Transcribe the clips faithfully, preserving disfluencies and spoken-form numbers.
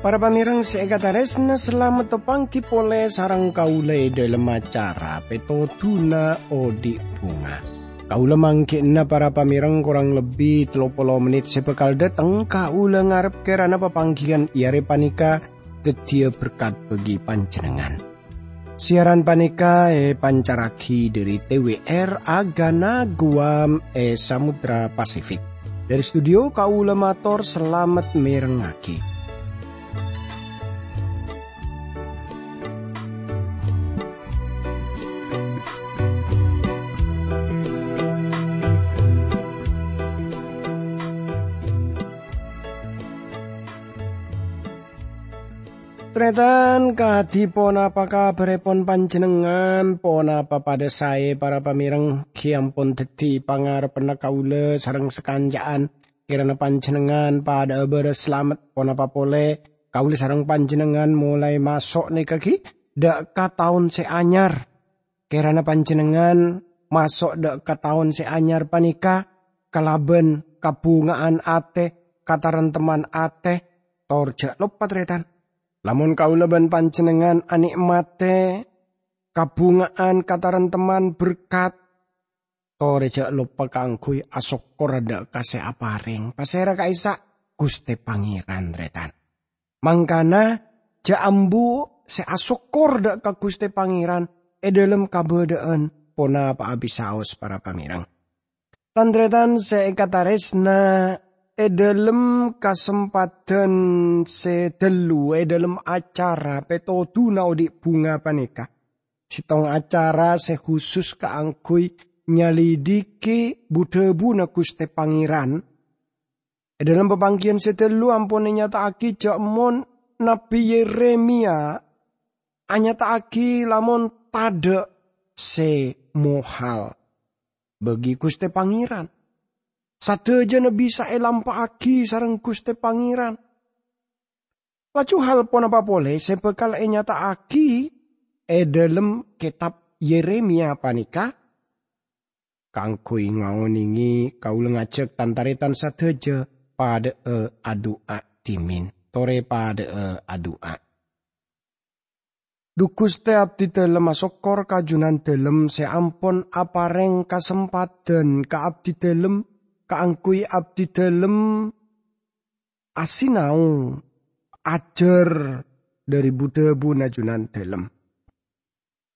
Para pamèrèng sè èkatarèsna, salamet apangghi polè sareng kaulâ è dhâlem acara Pètodhuna Odi' Bhunga. Kaulâ mangghi'na para pamèrèng korang lebbi tello polo mennit sè bhâkal dâteng. Kaulâ ngarep kèrana papangghiyân è arè panèka dhâddhiyâ berkat bagi panjhennengngan. Siaran panèka èpancarraghi dhâri T W R Agana Guam è Samudra Pasifik. Dhâri studio, kaulâ mator salamet mèrengngaghi. Tarètan, kadhi ponapa kabhârèpon panjhennengngan? Ponapa padâ saè, para pamèrèng? Ghi' ampon dhâddhi pangarebbhânna kaulâ sareng sakanca'an. Kèrana panjhennengngan padhâ'â bârâs salamet. Ponapa polè, kaulâ sareng panjhennengngan molaè maso' nèka ghi' dâ' ka taon sè anyar. Kèrana panjhennengngan maso' dâ' ka taon sè anyar panèka kalabân kabhunga'an atè, kataremtemman atè, tor jhâ' loppa, tarètan. Lamon kaulâ bân panjhennengngan anè'matè kabhunga'an, kataremtemman, berkat, torè jhâ' loppa kaangghuy asokkor dâ' ka sè aparèng. Pasèra ka'issa'? Ghustè Pangèran, tarètan. Mangkana, jhâ' ambu sè asokkor dâ' ka Ghustè Pangèran è dhâlem kabâdâ'ân ponapa'a bisaos, para pamèrèng. Tan-tarètan sè èkatarèsna, è dhâlem kasempadhân sè ghâllu, è dhâlem acara Pètodhuna Odi' Bhunga panèka, sèttong acara sè husus kaangghuy nyalidiki bu-dhâbuna Ghustè Pangèran, è dhâlem papangghiyân sè ghâllu ampon ènyata'aghi jhâ' mon Nabbhi Yeremia anyata'aghi lamon tadhâ' sè mohal bagi Ghustè Pangèran. Sadhâjâna bisa èlampa'aghi sareng Ghustè Pangèran. Laju hal ponapa polè sè bhâkal ènyata'aghi è dhâlem kètab Yeremia panèka? Kaangghuy ngaonèngè, kaulâ ngajhâk tan-tarètan sadhâjâ padhâ'â adu'a dhimèn. Torè padhâ'â adu'a. Dhu Ghustè, abdhi dhâlem asokkor ka Junandhâlem sè ampon aparèng kasempadhân ka abdhi dhâlem kaangghuy abdhi dhâlem asinao ajhâr dhâri bu-dhâbuna Junandhâlem.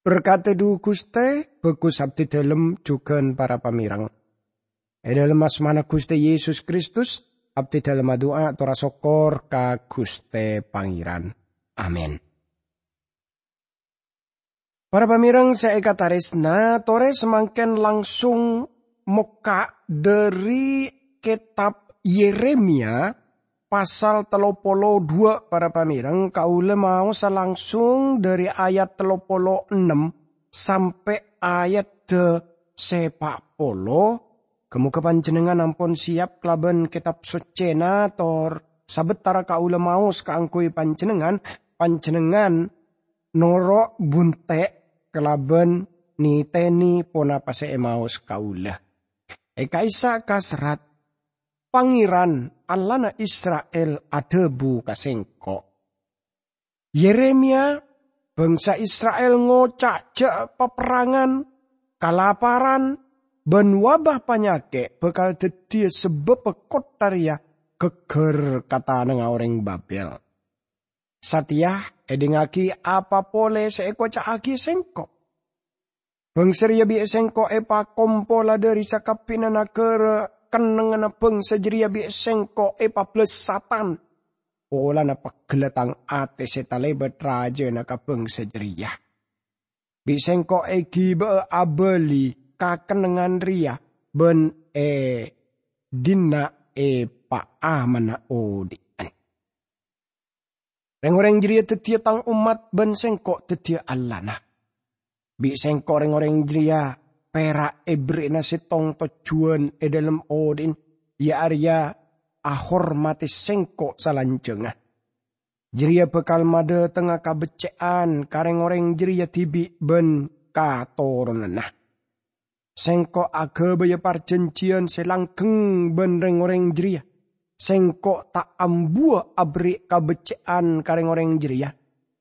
Berkadhi, dhu Ghustè, bhâghus abdhi dhâlem jhughân para pamèrèng. È dhâlem asmana Ghustè Yesus Kristus, abdhi dhâlem adu'a tor asokkor ka Ghustè Pangèran. Amin. Para pamèrèng sè èkatarèsna, torè samangkèn langsung mokka' dhâri kètab Yeremia pasal tello polo dhuwâ', para pamèrèng, kaulâ maosa langsung dhâri ayat tello polo ennem sampè' ayat sè pa' polo. Ghâ-moghâ panjhennengngan ampon sèyap kalabân Kètab Soccèna, tor sabâtara kaulâ maos kaangghuy panjhennengngan, panjhennengngan noro' buntè' kalabân nètènè ponapa sè èmaos kaulâ. È ka'issa' kaserrat, "Pangèran, Allahna Isra'il, adhâbu ka sèngko', 'Yeremia, bhângsa Isra'il ngoca' jhâ' paperrangan, kalaparan, bân wabâ panyakè' bhâkal dhâddhiyâ sabâbbhâ kottha rèya ghâgghâr ka tanangnga orèng Babèl. Satèya èdhingngaghi apa polè sè èkoca'aghi sèngko'. Bhângsa rèya bi' sèngko' èpakompola dhâri sakabbhiyânna naghârâ, kennengnganna bhângsa jârèya bi' sèngko' èpabellâs satan. Polana pegghellâ tang atè sè talèbât rajâna ka bhângsa jârèya. Bi' sèngko' èghibâ'â abâli ka kennengngan rèya bân è dinna' èpaamana odhi'ân. Rèng-orèng jârèya dhâddhiyâ tang ommat bân sèngko' dhâddhiyâ Allahna. Bi' sèngko' rèng-orèng jârèya pèra' èberri'na sèttong tojjhuwân è dhâlem odhi'na, iyâ arèya ahormadhi sèngko' salanjhângnga. Jârèya bhâkal madhâtengnga kabecce'an ka rèng-orèng jârèya dhibi' bân katoronanna. Sèngko' aghâbâyâ parjhânjhiyân sè langgheng bân rèng-orèng jârèya. Sèngko' ta' ambuwâ aberri' kabecce'an ka rèng-orèng jârèya.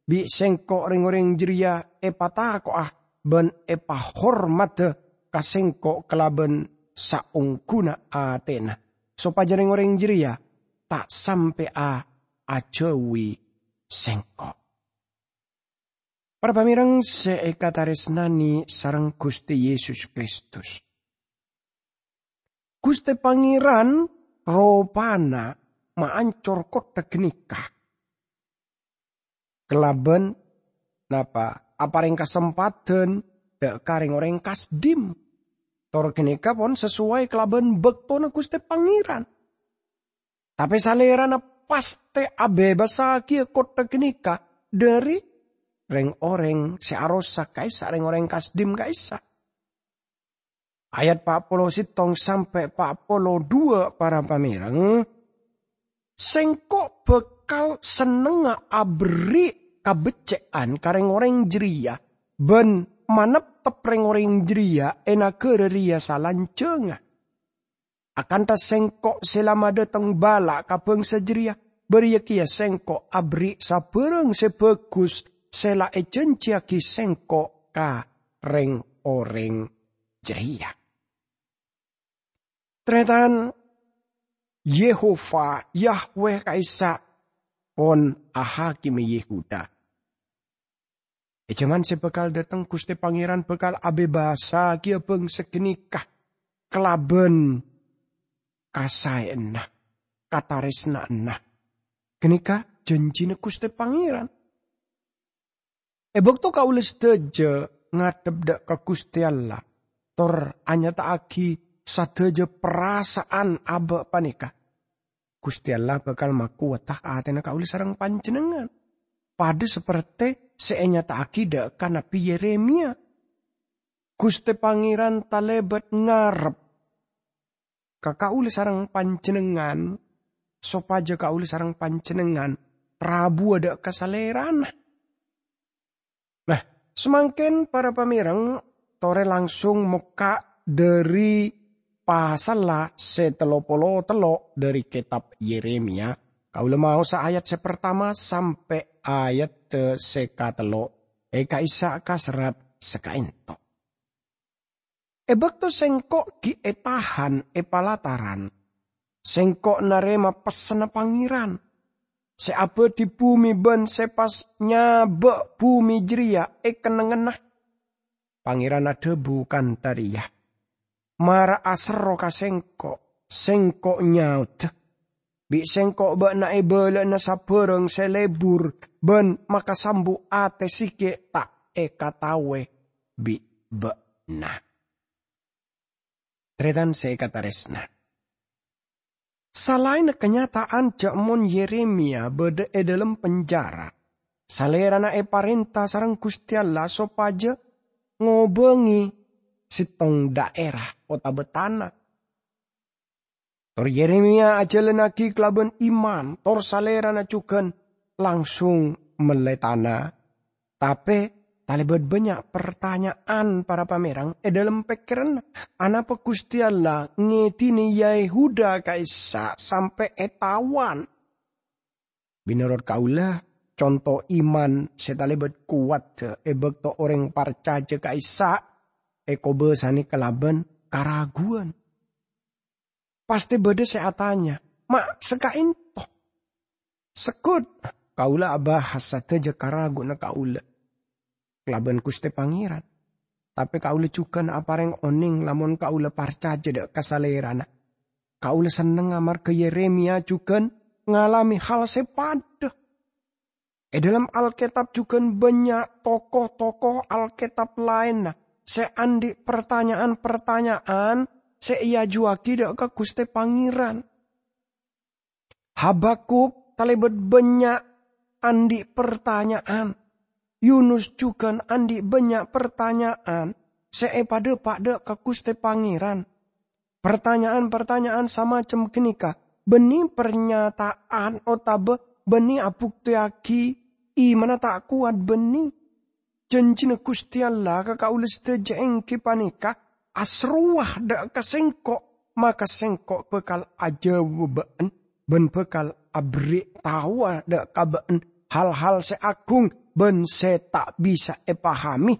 Bi' Sèngko' rèng-orèng jârèya èpatako'a bân èpahormadhâ ka Sèngko' kalabân saongghuna atèna, sopajâ rèng-orèng jârèya ta' sampè'a ajhâuwi Sèngko'. Para pamèrèng sè èkatarèsnanè sareng Ghustè Yesus Kristus, Ghustè Pangèran ropana maancor kottha ghânèka kalabân napa? Aparèng kasempadhân dâ' ka rèng-orèng Kasdim. Tor ghânèka pon sasoway kalabân bâktona Ghustè Pangèran. Tapè Salèrana pastè abhebbassaghi kottha ghânèka dhâri rèng-orèng sè arosak ka'issa' rèng-orèng Kasdim ka'issa'. Ayat pa' polo sèttong sampè' pa' polo duwâ', para pamèrèng, Sèngko' bhâkal sennengnga aberri' kabecce'an ka rèng-orèng jârèya bân maneptep rèng-orèng jârèya è naghârâ rèya salanjhângnga. Akantha Sèngko' sè la madhâteng bâlâ' ka bhângsa jârèya, bâriyâ kèya Sèngko' aberri' sabhârâng sè bhâghus sè la èjhânjhiyaghi Sèngko' ka rèng-orèng jârèya. Tarètan, Yehova, Yahweh ka'issa' pon ahakime Yehuda. È jhâman sè bhâkal dhâteng, Ghustè Pangèran bhâkal abhebbassaghi bhângsa ghânèka kalabân kasaèyanna, katarèsna'anna. Ghânèka jhânjhina Ghustè Pangèran. È bâkto kaulâ sadhâjâ ngadhep dâ' ka Ghustè Allah, tor anyata'aghi sadhâjâ parasa'an abâ' panèka, Ghustè Allah bhâkal makowadhâ atèna kaulâ sareng panjhennengngan, padâ sapertè sè ènyata'aghi dâ' ka Nabbhi Yeremiya. Ghustè Pangèran talèbât ngarep ka kaulâ sareng panjhennengngan, sopajâ kaulâ sareng panjhennengngan rabuwâ dâ' ka Salèrana. Nah, samangkèn, para pamèrèng, torè langsung mokka' dhâri pasalla sè tello polo tello' dhâri kètab Yeremiya. Kaulâ maosa ayat sè partama sampè' ayat sè katello' è ka'issa' ka serrat sè ka'ènto. È bâkto sèngko' ghi' ètahan è palataran, sèngko' narèma pessenna Pangèran, sè abâdhi bhumè bân sè pas nyabâ' bhumè jârèya è kennengnganna. Pangèran adhâbu kantha rèya, "Mara aserro ka sèngko', sèngko' nyaodâ. Bi' sèngko' bâ'na èbâlâ'âna sabhârâng sè lebur bân makasambu atè sè ghi' ta' èkataowè bi' bâ'na." Tarètan sè èkatarèsna, salaènna kanyata'an jhâ' mon Yeremiya bâdâ è dâlem penjara, salèrana èparènta sareng Ghustè Allah sopajâ ngobângè sèttong dhaèra otabâ tana. Tor Yeremiya ajhâlânnaghi kalabân iman, tor salèrana jhughân langsung mellè tana. Tapè talèbât bânnya' partanya'an para pamèrèng è dâlem pèkkèranna. Anapa Ghustè Allah ngèdhinè Yehuda ka'issa' sampè' ètawan? Mènorot kaulâ, conto iman sè talèbât kowat è bâkto orèng parcajâ ka'issa' èkobâsanè kalabân karaguwân. Pastè bâdâ sè atanya, "Ma' saka'ènto?" Segghut, kaulâ abahas sadhâjâ karaguwanna kaulâ kalabân Ghustè Pangèran. Tapè kaulâ jhughân aparèng onèng lamon kaulâ parcajâ dâ' ka Salèrana. Kaulâ sennengnga marghâ Yeremiya jhughân ngalamè hal sè padâ. È dâlem Alkètab jhughân bânnya' tokoh-tokoh Alkètab laènna sè andi' partanya'an-partanya'an sè èajuwâghi dâ' ka Ghustè Pangèran. Habakuk talèbât bânnya' andi' partanya'an. Yunus jhughân andi' bânnya' partanya'an sè èpadâpa' dâ' ka Ghustè Pangèran. Partanya'an-partanya'an samacem ghânèka bânnè parnyata'an otabâ bânnè abuktèyaghi imanna ta' kowat bânnè. Janjina Ghustè Allah ka kaulâ sadhâjâ èngghi panèka, "Aserrowa dâ' ka Sèngko', maka Sèngko' bhâkal ajâwâbâ bâ'na bân bhâkal aberri' taowa dâ' ka bâ'na hal-hal sè agung bân sè ta' bisa èpahamè,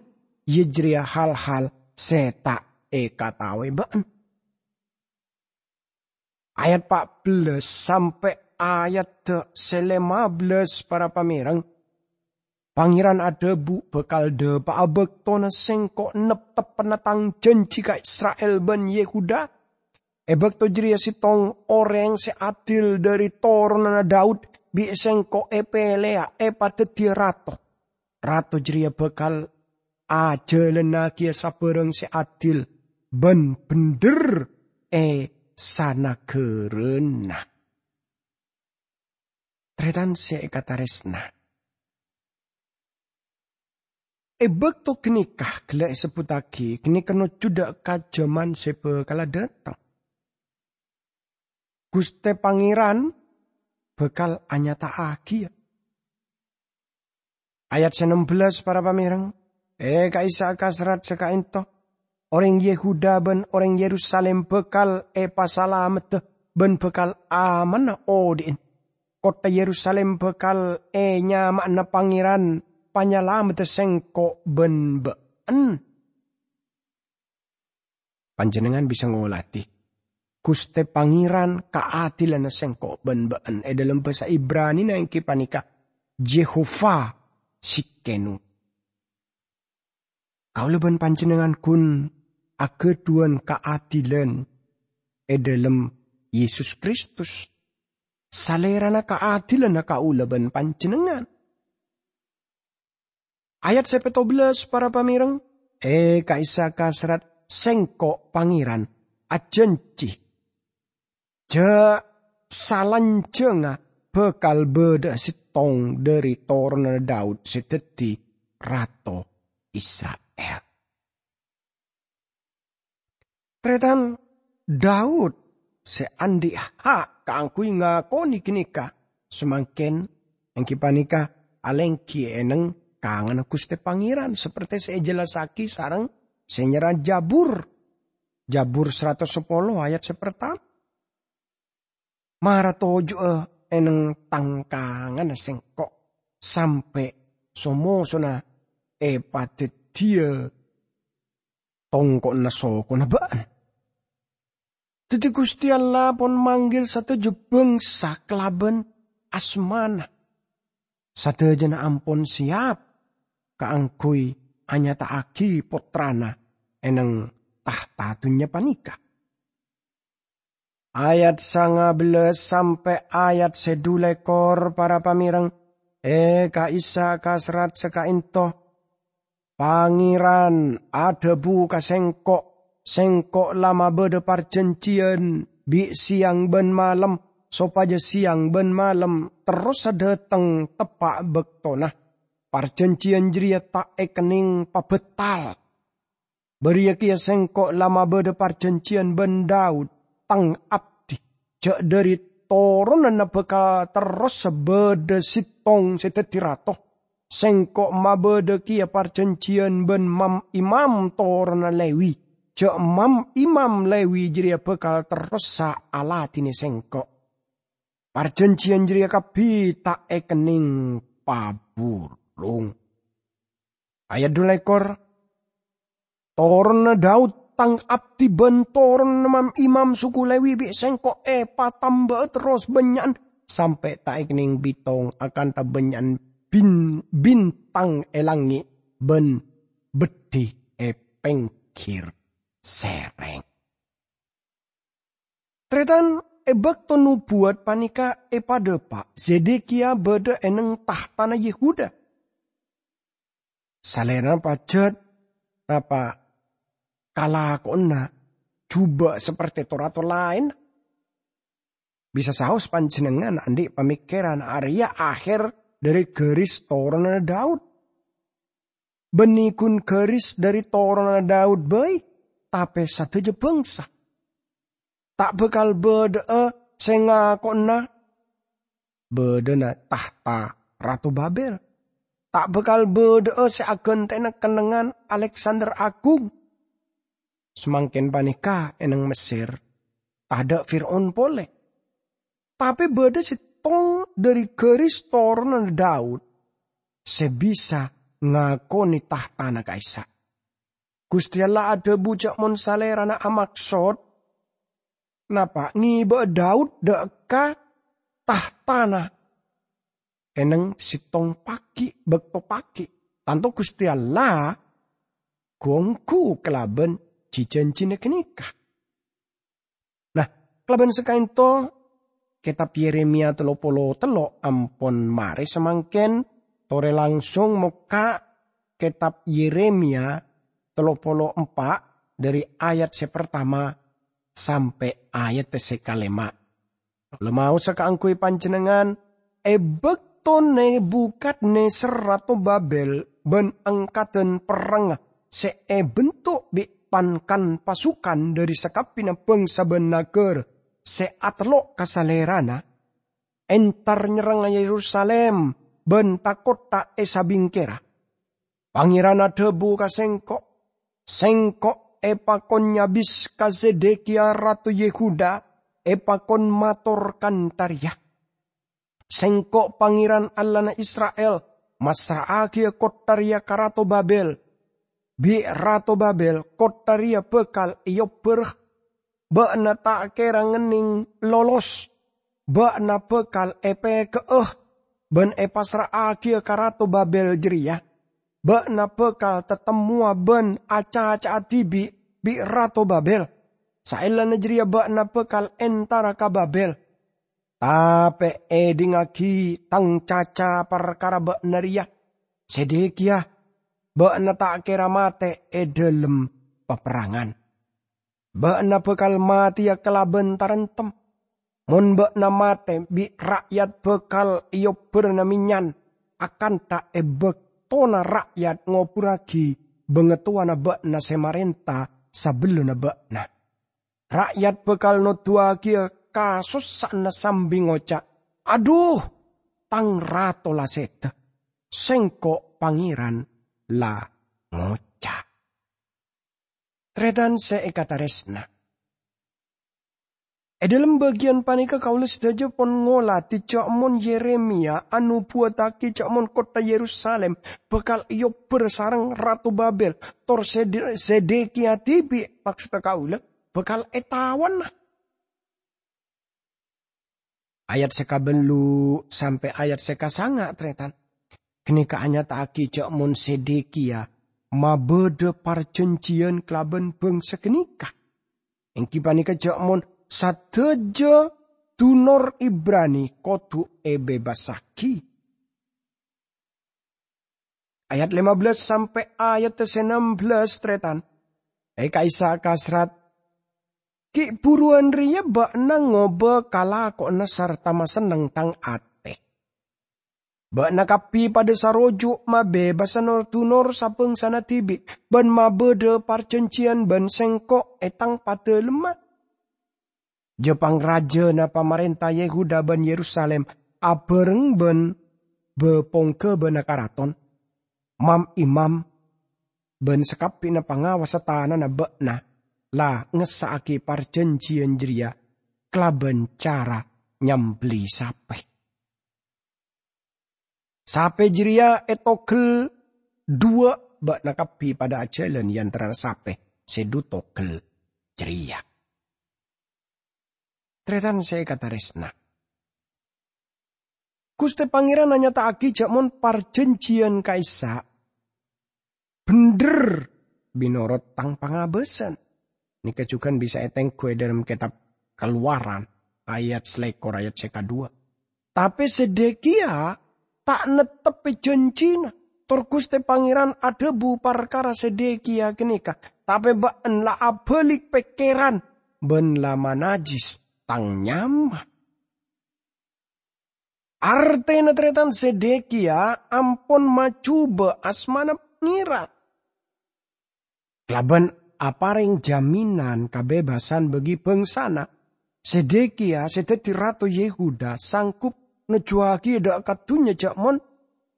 iyâ jârèya hal-hal sè ta' èkataowè bâ'na." Ayat pa' bellâs sampè' ayat sè lèma bellâs, para pamèreng. Pangèran adhâbu, "Bhâkal dâpa'a bâktona Sèngko' nepteppanna Tang janji ka Isra'il bân Yehuda. È bâkto jârèya sèttong orèng sè adil dâri toronanna Daud bi' Sèngko' èpèlèya èpadhâddhiyâ rato. Rato jârèya bhâkal ajhâlânnagiyâ sabârâng sè adil bân bhendher è sanaghârâna." Tarètan sè èkatarèsna, è bâkto ghânèka ghellâ' èsebbhuttaghi ghânèka nojjhu dâ' ka jhâman sè bhâkala dâteng. Ghustè Pangèran bhâkal anyata'aghiyâ. Ayat sè nem bellâs, para pamèreng, "È ka'issa' ka serrat sè ka'ènto, orèng Yehuda bân orèng Yerusalim bhâkal èpasalameddhâ bân bhâkal amanna odhi'na. Kottha Yerusalim bhâkal ènyama'ana Pangèran Panyalameddhâ sèngko' bân bâ'na." Panjhennengngan bisa ngolatè Ghustè Pangèran kaadilanna sèngko' bân bâ'na. È dhâlem bhâsa Ibranina èngghi panèka Jehovah Tsidkenu. Kaulâ bân panjhennengngan ghun aghâdhuwân kaadilan è dhâlem Yesus Kristus, Salèrana kaadilanna kaulâ bân panjhennengngan. Ayat sè pètto bellâs, para pamèreng, è ka'issa' ka serrat, "Sèngko', Pangèran, ajhânjhi, jhâ' salanjhângnga bhâkal bâdâ'â sèttong dâri toronanna Daud sè dhâddhi rato Isra'il." Tarètan, Daud sè andi' ha' kaangghuy ngakonè ghânèka samangkèn, èngghi panèka alèngghi è neng kanganna Ghustè Pangèran, sapertè sè èjellassaghi sareng sè nyerra Jabur. Jabur saratos sapolo ayat sè partama. "Mara toju'â è neng tang kanganna sèngko', sampè' so-mosona èpadhâddhiyâ tongko'na sokona bâ'na." Dhâddhi Ghustè Allah pon manggil sadhâjâ bhângsa kalabân asmana. Sadhâjâna ampon sèyap kaangghuy anyata'aghi Pottrana è neng tahta dhunnya panèka. Ayat sanga bellâs sampè' ayat sè dhu lèkor, para pamèreng, è ka'issa' ka serrat sè ka'ènto. Pangèran adhâbu ka sèngko', "Sèngko' la mabâdâ parjhânjhiyân bi' sèyang bân malem, sopajâ sèyang bân malem terrosa dâteng teppa' bâktona. Parjhânjhiyân jârèya ta' èkennèng pabâtal. Bâriyâ kèya sèngko' la mabâdâ parjhânjhiyân bân Daud, tang abdhi, jhâ' dâri toronanna bhâkal terrosa bâdâ sèttong sè dhâddhi rato. Sèngko' mabâdâ kèya parjhânjhiyân bân mam-imam toronanna Lewi, jhâ' mam-imam Lewi jârèya bhâkal terrosa aladhinè sèngko'. Parjhânjhiyân jârèya kabbhi ta' èkennèng pabhurung." Ayat dhu lèkor, "Toronanna Daud, tang abdhi, bân toronanna mam-imam suku Lewi bi' sèngko' èpatamba'a terros bânnya'an, sampè' ta' èkennèng bitong akantha bânnya'an bin-, bintang è langngè' bân beddhi è pèngghir sèrèng." Tarètan, è bâkto nobuwât panèka èpadâpa', Zedekiya bâdâ è neng tahtana Yehuda. Salèrana pajhât napa kalakowanna jhubâ' sapertè to-rato laènna. Bisa saos panjhennengngan andi' pamèkkèran arèya akhèr dâri ghâris toronanna Daud. Bânnè ghun ghâris dâri toronanna Daud bhâi, tapè sadhâjâ bhângsa. Ta' bhâkal bâdâ'â sè ngako'na bâdâna tahta Rato Babel. Ta' bhâkal bâdâ'â sè aghântèna kennengngan Aleksander Agung. Samangkèn panèka è neng Messer, tadâ' Fir'aun polè. Tapè bâdâ sèttong dhâri ghâris toronanna Daud sè bisa ngakonè tahtana ka'issa'. Ghustè Allah adhâbu jhâ' mon Salèrana amaksod, napa ngèbâ'â Daud dâ' ka tahtana è neng sèttong paghi', bâkto paghi', tanto Ghustè Allah ghu-ongghu kalabân ji-janjina ghânèka. Nah, kalabân sakaènto, Kètab Yeremia tello polo tello' ampon marè samangkèn, torè langsung mokka' Kètab Yeremia tello polo empa' dhâri ayat sè partama sampè' ayat sè kalèma'. Kaulâ maosa kaangghuy panjhennengngan, è bâkto Nebukadnezar rato Babel bân angkadan perrangnga sè èbentuk bi' pan-kan pasukan dhâri sakabbhiyânna bhângsa bân naghârâ sè atello' ka Salèrana, entar nyerrang Yerusalim bân tha-kottha è sabingkèra. Pangèran adhâbu ka sèngko', "Sèngko' èpakon nyabis ka Zedekiya rato Yehuda, èpakon mator kantha rèya, 'Sèngko' Pangèran Allahna Isra'il massra'aghiyâ kottha rèya ka Rato Babel. Bi' Rato Babel kottha rèya bhâkal èobbhârâ. Bâ'na ta' kèra ngennèng lolos. Bâ'na bhâkal èpèghâ'â bân èpassra'aghiyâ ka Rato Babel jârèya. Bâ'na bhâkal tatemmowa bân acaca'a dhibi' bi' Rato Babel. Saellana jârèya bâ'na bhâkal entara ka Babel. Tapè èdhingngaghi tang caca parkara bâ'na rèya, Zedekiya, bâ'na ta' kèra matè è dhâlem paperrangan. Bâ'na bhâkal matèya kalabân taremtem. Mon bâ'na matè, bi' ra'yat bhâkal èobbhârâna mennyan, akantha è bâktona ra'yat ngoburragi bangatowana bâ'na sè marènta sabellunna bâ'na. Ra'yat bhâkal noduwaghiyâ kasossa'anna sambi ngoca', 'Adhu, tang rato la sèdhâ! Sèngko' Pangèran la ngoca'.'" Tarètan sè èkatarèsna, è dhâlem bâgiyân panèka kaulâ sadhâjâ pon ngolatè jhâ' mon Yeremia anobuwattaghi jhâ' mon kottha Yerusalim bhâkal èobbhâr sareng Rato Babel, tor Sed-, Zedekiya dhibi', maksodda kaulâ, bhâkal ètawana. Ayat sè kabellu' sampè' ayat sè kasanga', tarètan, ghânèka anyata'aghi jhâ' mon Zedekiya mabâdâ parjhânjhiyân kalabân bhângsa ghânèka, èngghi panèka jhâ' mon sadhâjâ dunor Ibrani kodhu èbebasaghi. Ayat lima belas sampè' ayat sè ennem belas, tarètan. È ka'issa' kasrat, "Ghi' bhuruwân rèya bâ'na ngobâ kalakowanna sarta masenneng tang atè. Bâ'na kabbhi padâ saroju' mabebasa nor-dunor sabhângsana dhibi' bân mabâdâ parjhânjhiyân bân sèngko' è tang padâlemma. Jhâ' pangrajâna pamarènta Yehuda bân Yerusalim abhâreng bân bâ-pongghâbâna karaton, mam-imam, bân sakabbhiyânna pangawassa tanana bâ'na la ngessa'aghi parjhânjhiyân jârèya kalabân cara nyambelli sapè. Sapè jârèya ètogel dhuwâ', bâ'na kabbhi padâ ajhâlân è antarana sapè sè dhu togel jârèya." Tarètan sè èkatarèsna, Ghustè Pangèran anyata'aghi jhâ' mon parjhânjhiyân ka'issa' bhendher mènorot tang pangabâsan. Nèka jhughân bisa ètengghu è dhâlem kètab Kaluwaran, ayat salèkor, ayat sè kadhuwâ. Tapè Zedekiya ta' nettebbhi jhânjhina, tor Ghustè Pangèran adhâbu parkara Zedekiya ghânèka, "Tapè bâ'en la abâli' pèkkèran bân la manajjis tang nyama." Artèna tarètan Zedekiya ampon majhubâ asmana Pangèran. Kalabân aparèng jaminan kabebasân bagi bângsana, Zedekiya sè dhâddhi rato Yehuda sanggup nojjuwâghi dâ' ka dhunnya jhâ' mon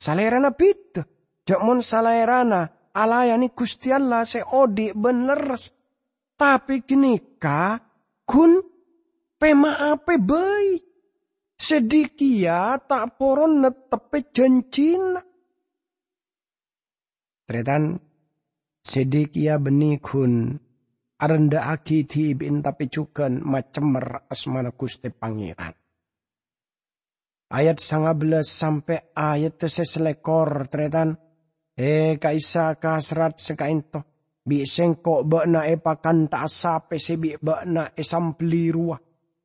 salèrana bhidhâ, jhâ' mon salèrana alayane Guste Allah se odhi' ban lerres. Tape ganeka, ghun, pema'a bhâi. Sedekia ta' poron netteppe janjina. Taretan, Sedekia banne ghun arendha'agi dhibi'na tape jugan macemmer asmana Guste Pangeran. Ayat sanga bellas sampe' ayat se salekor, taretan. E, ka'issa' ka serrat se ka'ento, bi' sengko' ba'na epakanta'a sape se bi' ba'na esambelli rowa.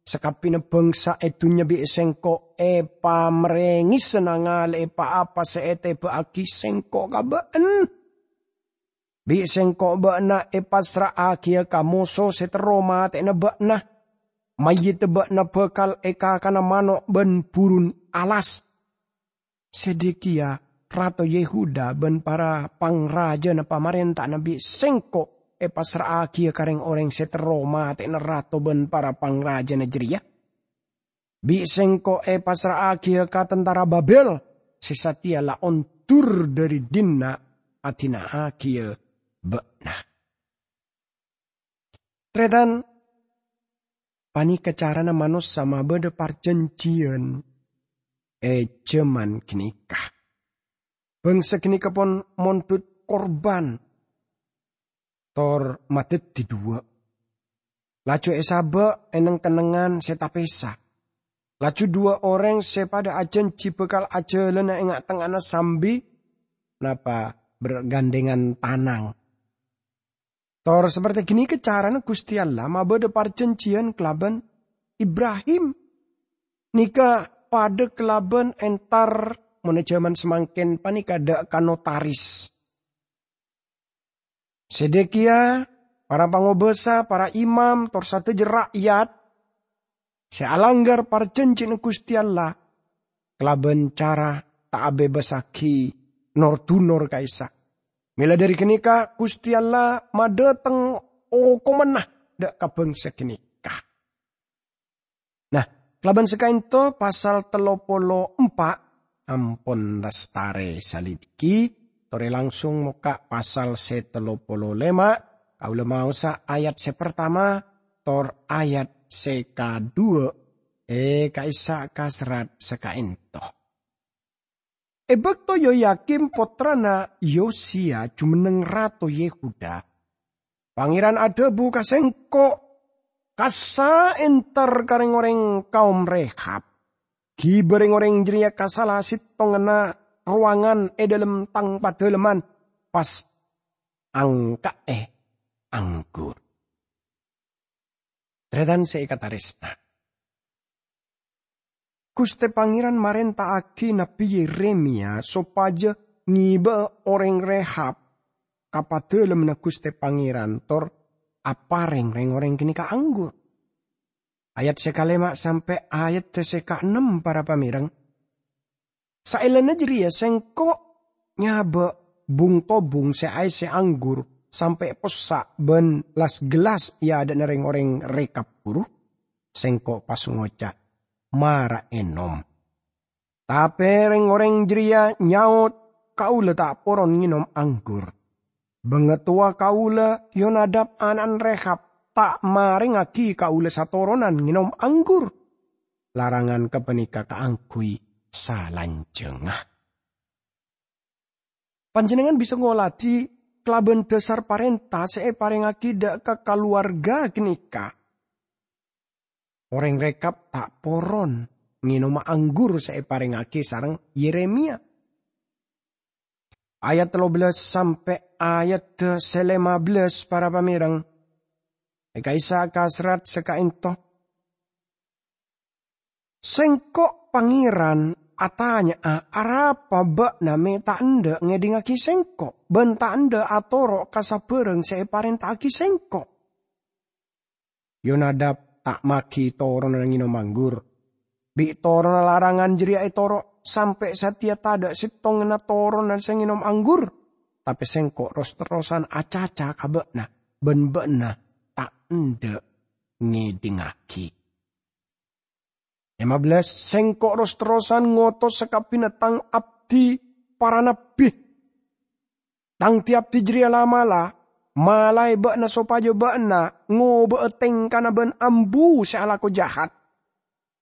Sakabbina bangsa e dunnya bi' sengko' epamerengesa nangale'e pa-apa se eteba'agi sengko' ka ba'na. Bi' sengko' ba'na epassra'agiya ka moso se terro mateyana ba'na. Mayyidda ba'na bakal ekakana mano' ban burun alas. Sedekia, rato Yehuda, ban para pangrajana pamarenta'na bi' sengko' epassra'agiya ka reng-oreng se terro mateyana rato ban para pangrajana jareya. Bi' sengko' epassra'agiya ka tantara Babel se sateya la ondur dhari dinna' adina'agiya ba'na. Taretan, paneka carana manossa mabadha parjanjiyan e jaman ganeka. Bangsa ganeka pon mondhut korban, tor madaddi dhuwa'. Laju esaba' e neng-kennengngan se tapesa. Laju dhuwa' oreng se padha ajanji bakal ajalana e nga'-tengnga'anna sambi napa bergandengan tanang. Tor saperte ganeka carana Guste Allah mabadha parjanjiyan kalaban Ibrahim. Neka padha kalaban entar, mon e jaman samangken paneka dha' ka notaris. Sedekia, para pangobasa, para imam, tor sadaja ra'yat se alanggar parjanjina Guste Allah kalaban cara ta' abebassagi nor-dunor ka'issa'. Mela dhari ganeka, Guste Allah madhateng okomanna dha' ka bangsa ganeka. Nah, kalaban sakaento pasal tello polo empa' ampon lestare salidiki, tore langsung mokka' pasal se tello polo lema, kaula maosa ayat se partama tor ayat se kadhuwa, e, ka'issa' ka serrat sakaento. E bakto Yoyakim pottrana Yosia jumenneng rato Yehuda, Pangeran adhabu ka sengko', "Kassa' entar ka reng-oreng kaom Rehab, giba reng-oreng jareya ka sala settonganna rowangan e dhalem tang padhaleman, pas angka'e anggur." Taretan se ekataresna, Guste Pangeran marenta'agi Nabbi Yeremia sopaja ngeba'a oreng Rehab ka Padalemmanna Guste Pangeran tor apareng reng-oreng ganeka anggur. Ayat se kalema sampe' ayat se kaennem, para pamereng. Saellana jareya sengko' nyaba' bung-tobung se aesse anggur sampe' possa' ban las-gellas e adha'na reng-oreng Rekab buru. Sengko' pas ngoca', "Mara enom." Tape reng-oreng jareya nyaot, "Kaula ta' poron ngenom anggur. Bangatowa kaula, Yonadab ana'na Rekab, ta' marengngagi kaula satoronan ngenom anggur. Larangan gapaneka kaangguy salanjangnga." Panjennengngan bisa ngoladi kalaban dhasar parenta se eparengngagi dha' ka kalowarga ganeka. Oreng Rekab ta' poron ngenoma anggur se eparengngagi sareng Yeremia. Ayat tello bellas sampe' ayat se lema bellas, para pamereng. E ka'issa' ka serrat se kaento. Sengko' Pangeran atanya'a, "Arapa ba'na me' ta' endha' ngedhingngagi Sengko' ban ta' endha' atoro' ka sabarang se eparenta'agi Sengko'?" Yonadab ta' magi toronanna ngenom anggur. Bi' toronanna larangan jareya etoro' sampe' sateya tadha' settonganna toronanna se ngenom anggur, tape Sengko' ros-terrosan acaca ka ba'na, ban ba'na ta' endha' ngedhingngagi. Lima belas, "Sengko' ros-terrosan ngotos sakabbhina Tang abdi para nabbi. Tang di-abdi jareya la-mala malae ba'na sopajâ ba'na ngoba'a tengkana bân ambu sè alako jahat.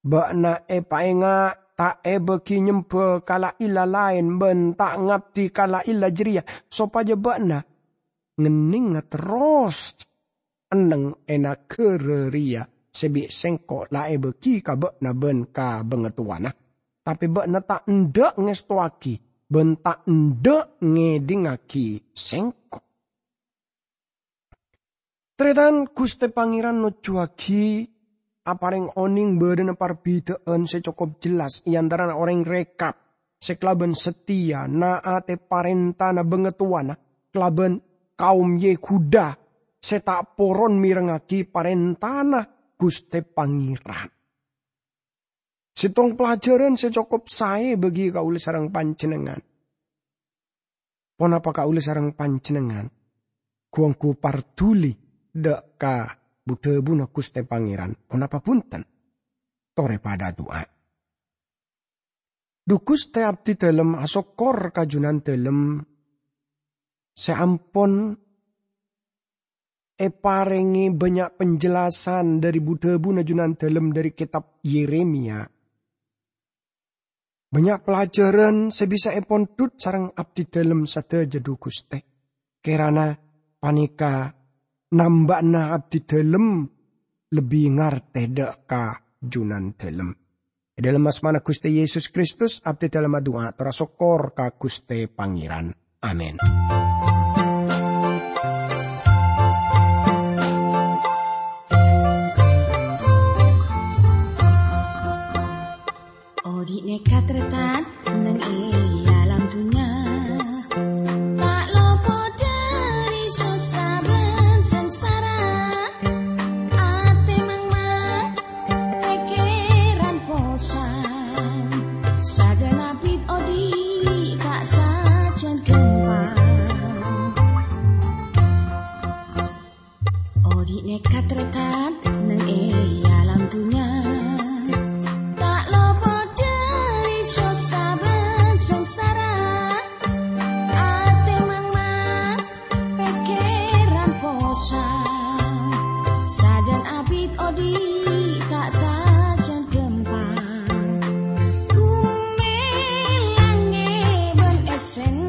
Ba'na èpaènga' ta' èbâgi nyemba ka la-ila laèn bân ta' ngabdi ka la-ila jareya, sopajâ ba'na ngennengnga terros enneng è naghârâ rèya sè bi' Sengko' la èbâgi ka ba'na bân ka bangatowana. Tapè ba'na ta' endâ' ngèstowaghi bân ta' endâ' ngèdingngaghi Sengko'." Tarètan, Ghustè Pangèran nojjhuwaghi aparèng onèng bâdâna parbidhâ'ân sè cokop jelas è antarana orèng Rekab sè kalabân sateya naatè parèntana bangatowana kalabân kaum Yehuda sè ta' poron mèrengngaghi parèntana Ghustè Pangèran. Sèttong pelajaran sè cokop saè bagi kaulâ sareng panjhennengngan. Ponapa kaulâ sareng panjhennengngan gu-onggu parduli dâ' ka bu-dhâbuna Ghustè Pangèran? Ponapa bhunten? Torè padâ adu'a. Dhu Ghustè, abdhi dhâlem asokkor ka Junandhâlem sè ampon èparèngè bânnya' penjelasan dhâri bu-dhâbuna Junandhâlem dhâri kètab Yeremia. Bânnya' pelajaran sè bisa èpondhut sareng abdhi dhâlem sadhâjâ, dhu Ghustè. Kèrana panèka namba'na abdhi dhâlem lebbi ngartè dâ' ka Junandhâlem. È dhâlem asmana Ghustè Yesus Kristus, abdhi dhâlem adu'a, ator asokkor ka Ghustè Pangèran. Amin. Odi' nèka tarètan neng è alam dunnya, ta' lopot dhâri sossa bân sangsara. Atè mangmang, pèkkèran posang, sajân abit odi' ta' sajân ghâmpang. Odi' nèka tarètan neng è alam dunnya, ta' lopot dhâri sossa bân sangsara. Atè mangmang, pèkkèran posang, sajân abit odi' ta' sajân ghâmpang. Ghumè langngè bân èssèna